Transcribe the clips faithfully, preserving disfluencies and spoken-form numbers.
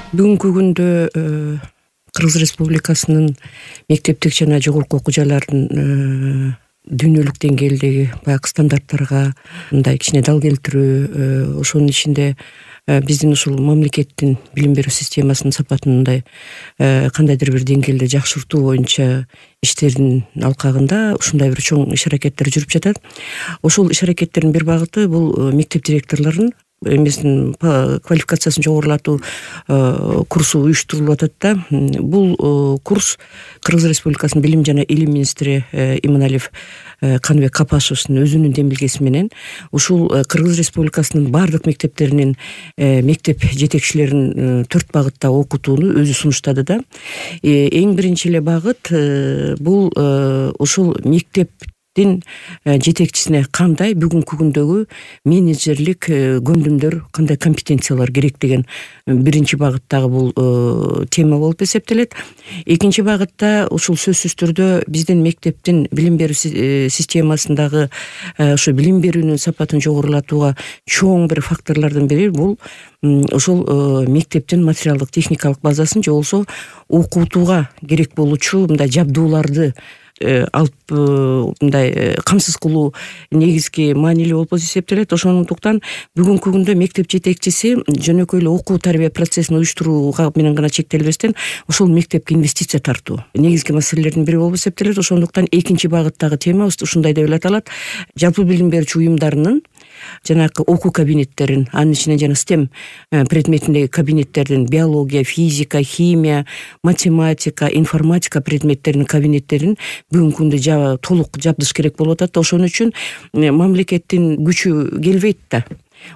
Бүгүнкү күндө Кыргыз Республикасынын мектептик жана жогорку окуу жайларынын дүйнөлүк деңгээлдеги баягы стандарттарга мындай кичине дал келтирүү, ошонун ичинде биздин ушул мамлекеттин билим берүү системасынын сапатын мындай кандайдыр бир деңгээлде жакшыртуу боюнча иштердин алкагында ушундай бир чоң иш аракеттер жүрүп жатат. Ошол иш аракеттердин бир багыты бул мектеп директорлорунун эмесин квалификациясын жогорулатуу курсу уюштурулуп атат да. Бул курс Кыргыз Республикасынын билим жана илим министри Иманалиев Каныбек Капашевичтин өзүнүн демилгеси менен ушул Кыргыз Республикасынын бардык мектептеринин мектеп жетекчилерин төрт багытта окутууну өзү сунуштады да. Эң биринчи эле багыт бул ушул мектеп жетекчисине кандай бүгүнкү күндөгү менеджерлик көндүмдөр, кандай компетенциялар керек деген биринчи багыттагы бул тема болуп эсептелет. Экинчи багытта ушул сөзсүз түрдө биздин мектептин билим берүү системасындагы ошо билим берүүнүн сапатын жогорулатууга чоң бир факторлордун бири бул ошол мектептин материалдык техникалык базасын же болбосо окутууга керек болуучу мындай жабдууларды алып мындай камсыз кылуу негизги маанилүү болуп эсептелет. Ошондуктан бүгүнкү күндө мектеп жетекчиси жөнөкөй эле окуу тарбия процессин уюштурууга менен гана чектелбестен ошол мектепке инвестиция тартуу негизги маселелердин бири болуп эсептелет. Ошондуктан экинчи багыттагы темабыз ушундай деп эле аталат: жалпы билим берүүчү уюмдарынын жанагы окуу кабинеттерин, анын ичинен жана STEM предметиндеги кабинеттердин биология, физика, химия, математика, информатика предметтеринин кабинеттерин бүгүнкү күндө толук жабдыш керек болуп атат. Ошон үчүн мамлекеттин күчү келбейт да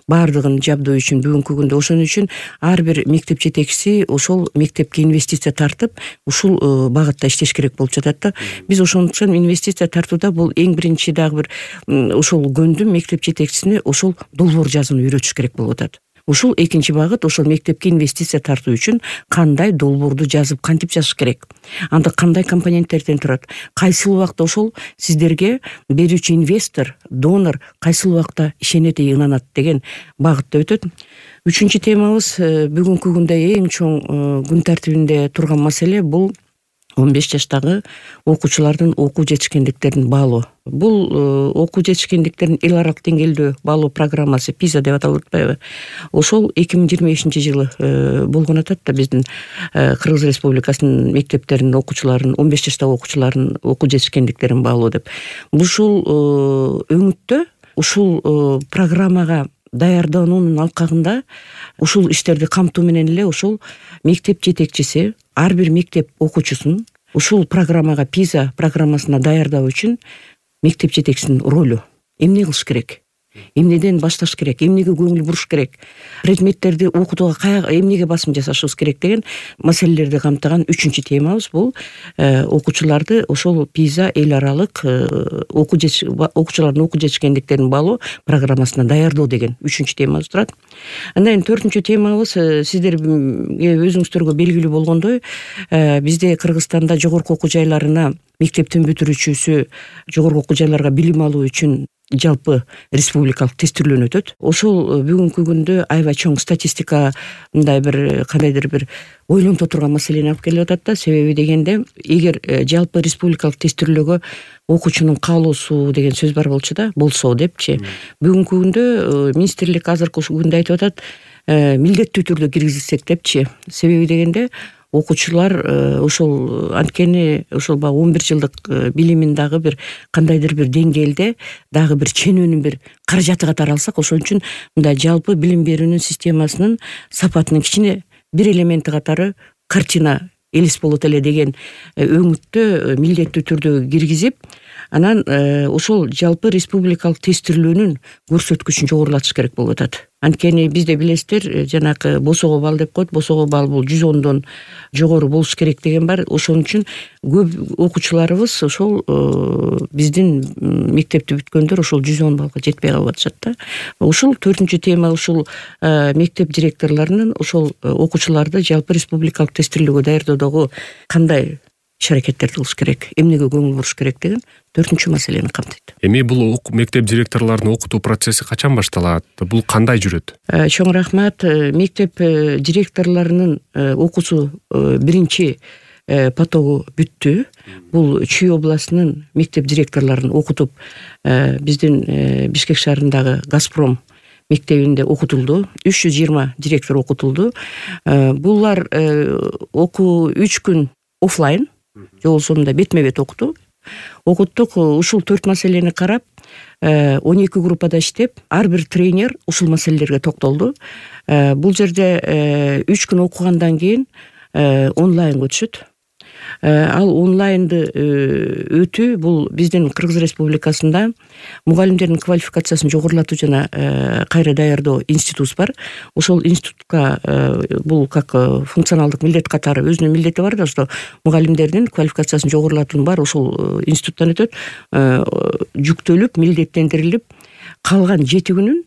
баардыгын жабдоо үчүн бүгүнкү күндө. Ошон үчүн ар бир мектеп жетекчиси ошол мектепке инвестиция тартып ушул багытта иштеш керек болуп жатат да. Биз ошондуктан инвестиция тартууда бул эң биринчи дагы бир ошол көндүм мектеп жетекчисине ошол долбоор жазууну үйрөтүш керек болуп атат. Ушул экинчи багыт, ошол мектепке инвестиция тартуу үчүн кандай долбоорду жазып, кантип жазыш керек, анда кандай компоненттерден турат, кайсыл убакта ошол сиздерге берүүчү инвестор, донор кайсыл убакта ишенет, ынанат деген багытта өтөт. Үчүнчү темабыз бүгүнкү күндө эң чоң күн тартибинде турган маселе бул он беш жаштагы окуучулардын окуу жетишкендиктерин баалоо. Бул окуу жетишкендиктерин эл аралык деңгээлде баалоо программасы пиза деп аталып атпайбы? Ошол эки миң жыйырма бешинчи жылы болгон атат да биздин Кыргыз Республикасынын мектептеринин окуучуларын, он беш жаштагы окуучулардын окуу жетишкендиктерин баалоо деп. Ушул өңүттө ушул программага даярдануунун алкагында ушул иштерди камтуу менен эле ошол мектеп жетекчиси ар бир мектеп окуучусун ушул программага, пиза программасына даярдоо үчүн мектеп жетекчисинин ролу эмне кылыш керек, эмнеден башташ керек, эмнеге көңүл буруш керек, предметтерди окутууга эмнеге басым жасашыбыз керек деген маселелерди камтыган үчүнчү темабыз бул окуучуларды ошол пиза эл аралык окуу окуучулардын окуу жетишкендиктерин баалоо программасына даярдоо деген үчүнчү темабыз турат. Андан кийин төртүнчү темабыз сиздерге өзүңүздөргө белгилүү болгондой, бизде Кыргызстанда жогорку окуу жайларына мектептин бүтүрүүчүсү жогорку окуу жайларга билим алуу үчүн жалпы республикалык тестирлөөнү өтөт. Ошол бүгүнкү күндө аябай чоң статистика мындай бир кандайдыр бир ойлонто турган маселени алып келип атат да. Себеби дегенде, эгер жалпы республикалык тестирлөөгө окуучунун каалоосу деген сөз бар болчу да, болсо депчи. Бүгүнкү күндө министрлик азыркы күндө айтып атат, милдеттүү түрдө киргизсек депчи. Себеби дегенде окуучулар ошол анткени ошол баягы он бир жылдык билимин дагы бир кандайдыр бир деңгээлде дагы бир ченөөнүн бир каражаты катары алсак, ошон үчүн мындай жалпы билим берүүнүн системасынын сапатынын кичине бир элементи катары картина элес болот эле деген өңүттө милдеттүү түрдө киргизип, анан ошол жалпы республикалык тестирлөөнүн көрсөткүчүн жогорулатыш керек болуп атат. Анткени бизде билесиздер, жанагы босого балл деп коет, босого балл бул жүз ондон жогору болуш керек деген бар. Ошон үчүн көп окуучуларыбыз ошол биздин мектепти бүткөндөр ошол жүз он баллга жетпей калып атышат да. Ушул төртүнчү тема, ушул мектеп директорлорунун ошол окуучуларды жалпы республикалык тестирлөөгө даярдоодогу кандай иш аракеттерди кылыш керек, эмнеге көңүл буруш керек деген төртүнчү маселени камтыйт. Эми бул мектеп директорлорунун окутуу процесси качан башталат? Бул кандай жүрөт? Чоң рахмат. Мектеп директорлорунун окуусу биринчи потогу бүттү. Бул Чүй областынын мектеп директорлорун окутуп, биздин Бишкек шаарындагы Газпром мектебинде окутулду. үч жүз жыйырма директор окутулду. Булар окуу үч күн офлайн, жол сонунда бетме бет окуту. Окуттук. Ушул төрт маселени карап, он эки группада иштеп, ар бир тренер ушул маселелерге токтолду. Бул жерде үч күн окугандан кийин онлайнга өтүшөт. Ал онлайнды өтүү бул биздин Кыргыз Республикасында мугалимдердин квалификациясын жогорулатуу жана кайра даярдоо институту бар. Ошол институтка бул как функционалдык милдет катары өзүнүн милдети бар да, что мугалимдердин квалификациясын жогорулатуунун баары ошол институттан өтөт. Жүктөлүп, милдеттендирилип, калган жети күнүн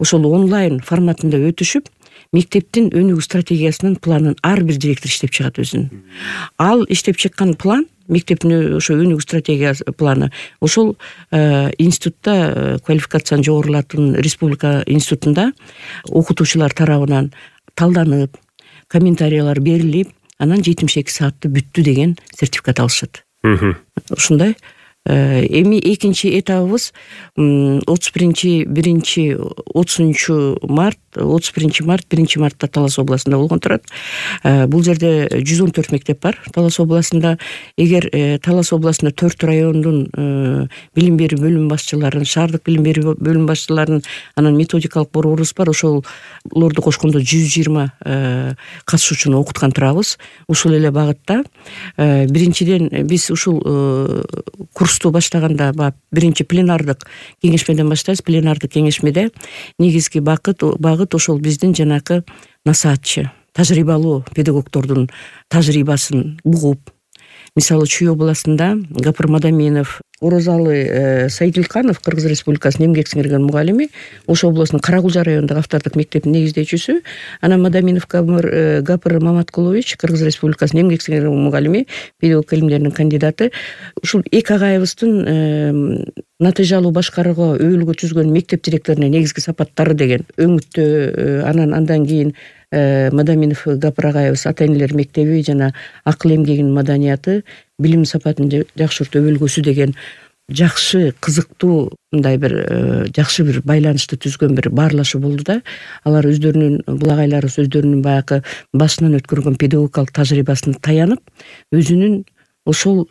ошол онлайн форматында өтүшүп, мектептин өнүгүү стратегиясынын планын ар бир директор иштеп чыгат өзүнүн. Ал иштеп чыккан план, мектептин ошо өнүгүү стратегиясы планы ошол институтта квалификацияны жогорулатуунун республика институтунда окутуучулар тарабынан талданып, комментариялар берилип, анан жетимиш эки саатты бүттү деген сертификат алышат. Ушундай. Эми экинчи этабыбыз отуз биринчи биринчи отузунчу март, отуз биринчи март, биринчи мартта Талас областында болгон турат. Бул жерде жүз он төрт мектеп бар Талас областында. Эгер Талас областында төрт райондун билим берүү бөлүм башчыларын, шаардык билим берүү бөлүм башчыларын, анан методикалык борборубуз бар, ошолорду кошкондо жүз жыйырма катышуучуну окуткан турабыз. Ушул эле багытта биринчиден биз ушул курсту баштаганда биринчи пленардык кеңешмеден баштайбыз. Пленардык кеңешмеде негизги багыт багыт ошол биздин жанакы насаатчы, тажрыйбалуу педагогдордун тажрыйбасын угуп, мисалы Чүй областында Гапыр Мадаминов, Орозалы Сайдилканов, Кыргыз Республикасынын эмгек сиңирген мугалими, ошол областынын Каракулжа районундагы автордук мектептин негиздөөчүсү. Анан Мадаминов Гапыр Маматкулович, Кыргыз Республикасынын эмгек сиңирген мугалими, педагог илимдеринин кандидаты. Ушул эки агайыбыздын натыйжалуу башкарууга өбөлгө түзгөн мектеп директорунун негизги сапаттары деген өңүттө, анан андан кийин Мадаминов Гапыр агайыбыз ата энелер мектеби жана акыл эмгегинин маданияты, билим сапатын жакшыртуу өбөлгөсү деген жакшы, кызыктуу, мындай бир жакшы бир байланышты түзгөн бир баарлашуу болду да. Алар өздөрүнүн, бул агайларыбыз өздөрүнүн баягы башынан өткөргөн педагогикалык тажрыйбасына таянып, өзүнүн ошол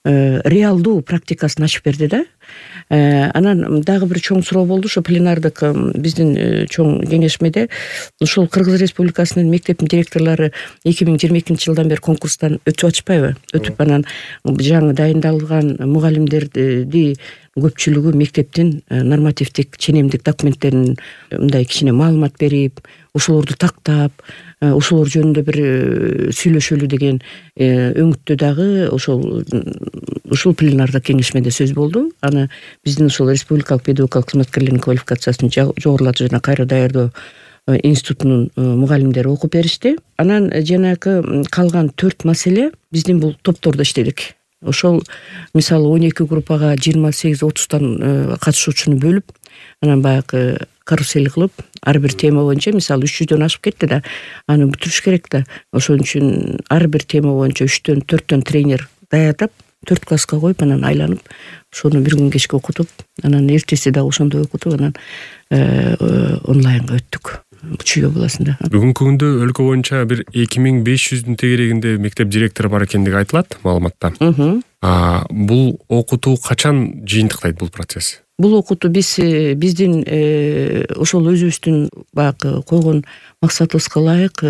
реалдуу практикасын ачып берди да. Анан дагы бир чоң суроо болду. Ошо пленардык биздин чоң кеңешмеде ушул Кыргыз Республикасынын мектептин директорлору эки миң жыйырма экинчи жылдан бери конкурстан өтүп атышпайбы? Өтүп анан жаңы дайындалган мугалимдерди көпчүлүгү мектептин нормативдик ченемдик документтерин мындай кичине маалымат берип, ошолорду тактап, ошолор жөнүндө бир сүйлөшөлү деген өңүттө дагы ошол ушул пленардык кеңешмеде сөз болду. Аны биздин ошол республикалык педагогикалык кызматкерлердин квалификациясын жогорулатуу жана кайра даярдоо институтунун мугалимдери окуп беришти. Анан жанагы калган төрт маселе биздин бул топтордо иштедик. Ошол мисалы он эки группага жыйырма сегиз отуздан катышуучуну бөлүп, анан баягы карусель кылып, ар бир тема боюнча, мисалы үч жүздөн ашып кетти да, аны бүтүрүш керек да. Ошон үчүн ар бир тема боюнча үчтөн төрттөн тренер даярдап, төрт класска коюп, анан айланып, ошону бир күн кечке окутуп, анан эртеси дагы ошондой окутуп, анан онлайнга өттүк. Чүй областында. Бүгүнкү күндө өлкө боюнча бир эки миң беш жүздүн тегерегинде мектеп директору бар экендиги айтылат маалыматта. А бул окутуу качан жыйынтыктайт бул процесс? Бул окутуу биз биздин ошол өзүбүздүн баягы койгон максатыбызга ылайык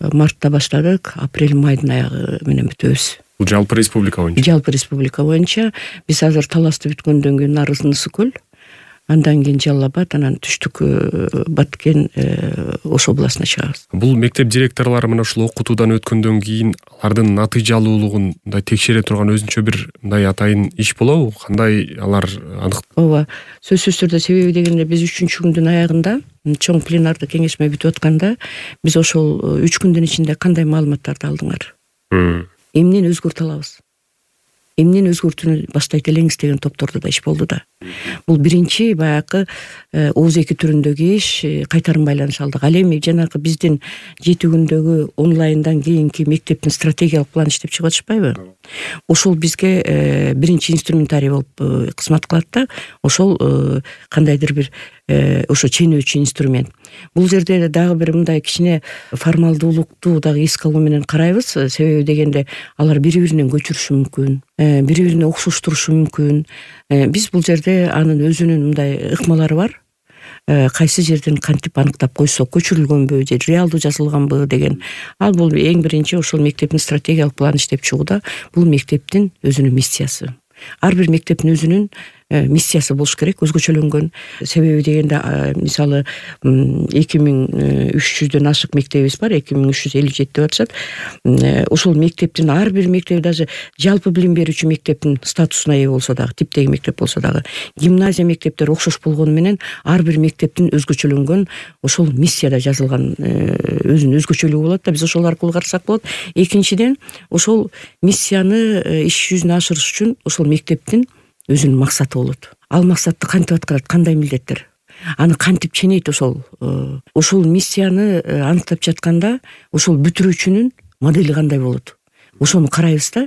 мартта баштадык, апрель майдын аягы менен бүтөбүз. Бул жалпы республика боюнча. Жалпы республика боюнча биз азыр Таласты бүткөндөн кийин Нарызын Ысык көл, андан кийин Жалал Абад, анан түштүк Баткен Ош областына чыгабыз. Бул мектеп директорлору мына ушул окутуудан өткөндөн кийин алардын натыйжалуулугун мындай текшере турган өзүнчө бир мындай атайын иш болобу? Кандай алар анык? Ооба, сөзсүз түрдө. Себеби дегенде биз үчүнчү күндүн аягында чоң пленардык кеңешме бүтүп атканда биз ошол үч күндүн ичинде кандай маалыматтарды алдыңар? эмнени өзгөртө алабыз, эмнени өзгөртүүнү баштайт элеңиз деген топтордо да иш болду да. Бул биринчи баягы ооз эки түрүндөгү иш, кайтарым байланыш алдык. Ал эми жанагы биздин жети күндөгү онлайндан кийинки мектептин стратегиялык планы иштеп чыгып атышпайбы? Ошол бизге биринчи инструментарий болуп кызмат кылат да. Ошол кандайдыр бир ошо ченөөчү инструмент. Бул жерде дагы бир мындай кичине формалдуулукту дагы эске алуу менен карайбыз. Себеби дегенде алар бири-биринен көчүрүшү мүмкүн, бири-бирине окшоштурушу мүмкүн. Биз бул жерде анын өзүнүн мындай ыкмалары бар. Кайсы жерден кантип аныктап койсок, көчүрүлгөнбү же реалдуу жазылганбы деген. Ал бул эң биринчи ошол мектептин стратегиялык планы иштеп чыгууда бул мектептин өзүнүн миссиясы. Ар бир мектептин өзүнүн миссиясы болуш керек, өзгөчөлөнгөн. Себеби дегенде мисалы эки миң үч жүздөн ашык мектебибиз бар, эки миң үч жүз элүү жети деп атышат. Ошол мектептин ар бир мектеби даже жалпы билим берүүчү мектептин статусуна ээ болсо дагы, типтеги мектеп болсо дагы, гимназия мектептери окшош болгону менен ар бир мектептин өзгөчөлөнгөн ошол миссияда жазылган өзүнүн өзгөчөлүгү болот да. Биз ошол аркылуу карасак болот. Экинчиден, ошол миссияны иш жүзүнө ашырыш үчүн ошол мектептин өзүнүн максаты болот. Ал максатты кантип аткарат, кандай милдеттер, аны кантип ченейт, ошол ошол миссияны аныктап жатканда ошол бүтүрүүчүнүн модели кандай болот, ошону карайбыз да.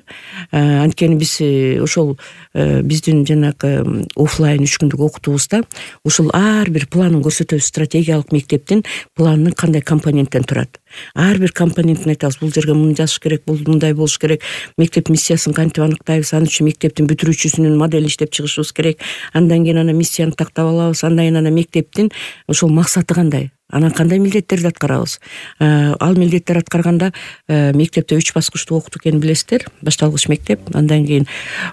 Анткени биз ошол биздин жанагы офлайн үч күндүк окутуубузда ошол ар бир планын көрсөтөбүз. Стратегиялык мектептин планы кандай компоненттен турат. Ар бир компонентин айтабыз. Бул жерге муну жазыш керек, бул мындай болуш керек. Мектеп миссиясын кантип аныктайбыз, анын үчүн мектептин бүтүрүүчүсүнүн моделин иштеп чыгышыбыз керек. Андан кийин ана миссияны тактап алабыз. Андан кийин ана мектептин ошол максаты кандай, анан кандай милдеттерди аткарабыз. Ал милдеттер аткарганда мектепте үч баскычтуу окутуу экенин билесиздер. Башталгыч мектеп, андан кийин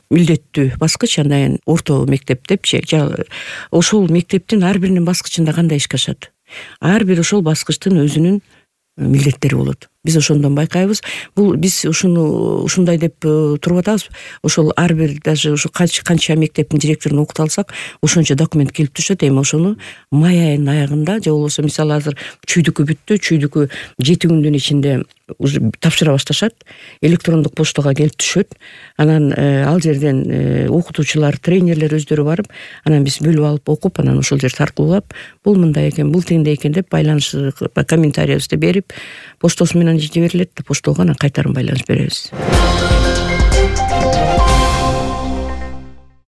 милдеттүү баскыч, андан кийин орто мектеп депчи. Ошол мектептин ар биринин баскычында кандай ишке ашат. Ар бир ошол баскычтын өзүнүн милдеттери болот. Биз ошондон байкайбыз. Бул биз ушуну ушундай деп туруп атабыз. Ошол ар бир даже ушу канча мектептин директорун окута алсак, ошончо документ келип түшөт. Эми ошону май айынын аягында же болбосо мисалы азыр чүйдүкү бүттү, чүйдүкү жети күндүн ичинде уже тапшыра башташат. Электрондук поштага келип түшөт. Анан ал жерден окутуучулар, тренерлер өздөрү барып, анан биз бөлүп алып окуп, анан ошол жерди таркуулап, бул мындай экен, бул тигиндей экен деп байланыш комментарийибизди берип, поштосу менен жиберилет. Поштого анан кайтарым байланыш беребиз.